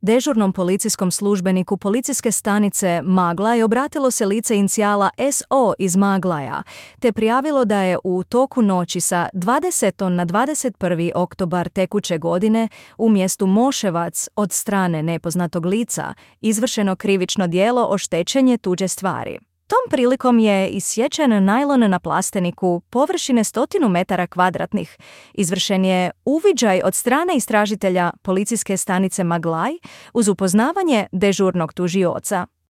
Dežurnom policijskom službeniku policijske stanice Maglaj obratilo se lice inicijala SO iz Maglaja, te prijavilo da je u toku noći sa 20. na 21. oktobar tekuće godine u mjestu Moševac od strane nepoznatog lica izvršeno krivično djelo oštećenje tuđe stvari. Tom prilikom je isječen najlon na plasteniku površine 100 metara kvadratnih. Izvršen je uviđaj od strane istražitelja policijske stanice Maglaj uz upoznavanje dežurnog tužioca.